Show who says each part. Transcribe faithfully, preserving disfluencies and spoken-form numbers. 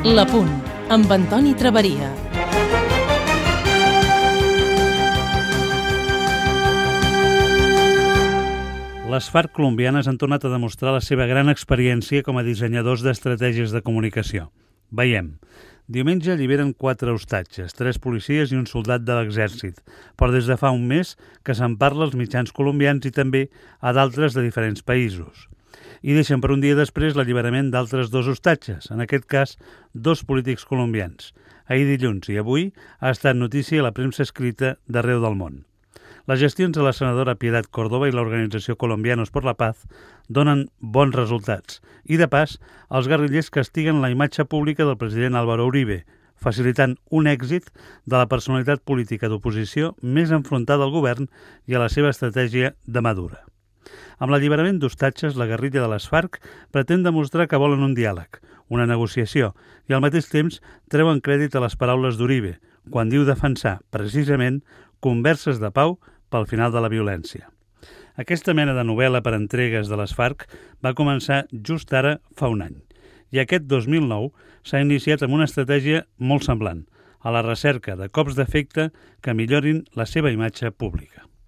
Speaker 1: La Punt, amb Antoni Traveria.
Speaker 2: Les FARC colombianes han tornat a demostrar la seva gran experiència com a dissenyadors d'estratègies de comunicació. Veiem. Diumenge alliberen quatre ostatges, tres policies i un soldat de l'exèrcit, però des de fa un mes que se'n parla als mitjans colombians i també a d'altres de diferents països. I deixen per un dia després l'alliberament d'altres dos ostatges, en aquest cas dos polítics colombians. Ahir dilluns i avui ha estat notícia a la premsa escrita d'arreu del món. Les gestions de la senadora Piedad Córdoba i l'organització Colombianos por la Paz donen bons resultats i, de pas, els guerrillers castiguen la imatge pública del president Álvaro Uribe, facilitant un èxit de la personalitat política d'oposició més enfrontada al govern i a la seva estratègia de mà dura. Amb l'alliberament d'ostatges, la guerrilla de les FARC pretén demostrar que volen un diàleg, una negociació, i al mateix temps treuen crèdit a les paraules d'Uribe, quan diu defensar, precisament, converses de pau pel final de la violència. Aquesta mena de novel·la per entregues de les FARC va començar just ara fa un any, i aquest dos mil nou s'ha iniciat amb una estratègia molt semblant, a la recerca de cops d'efecte que millorin la seva imatge pública.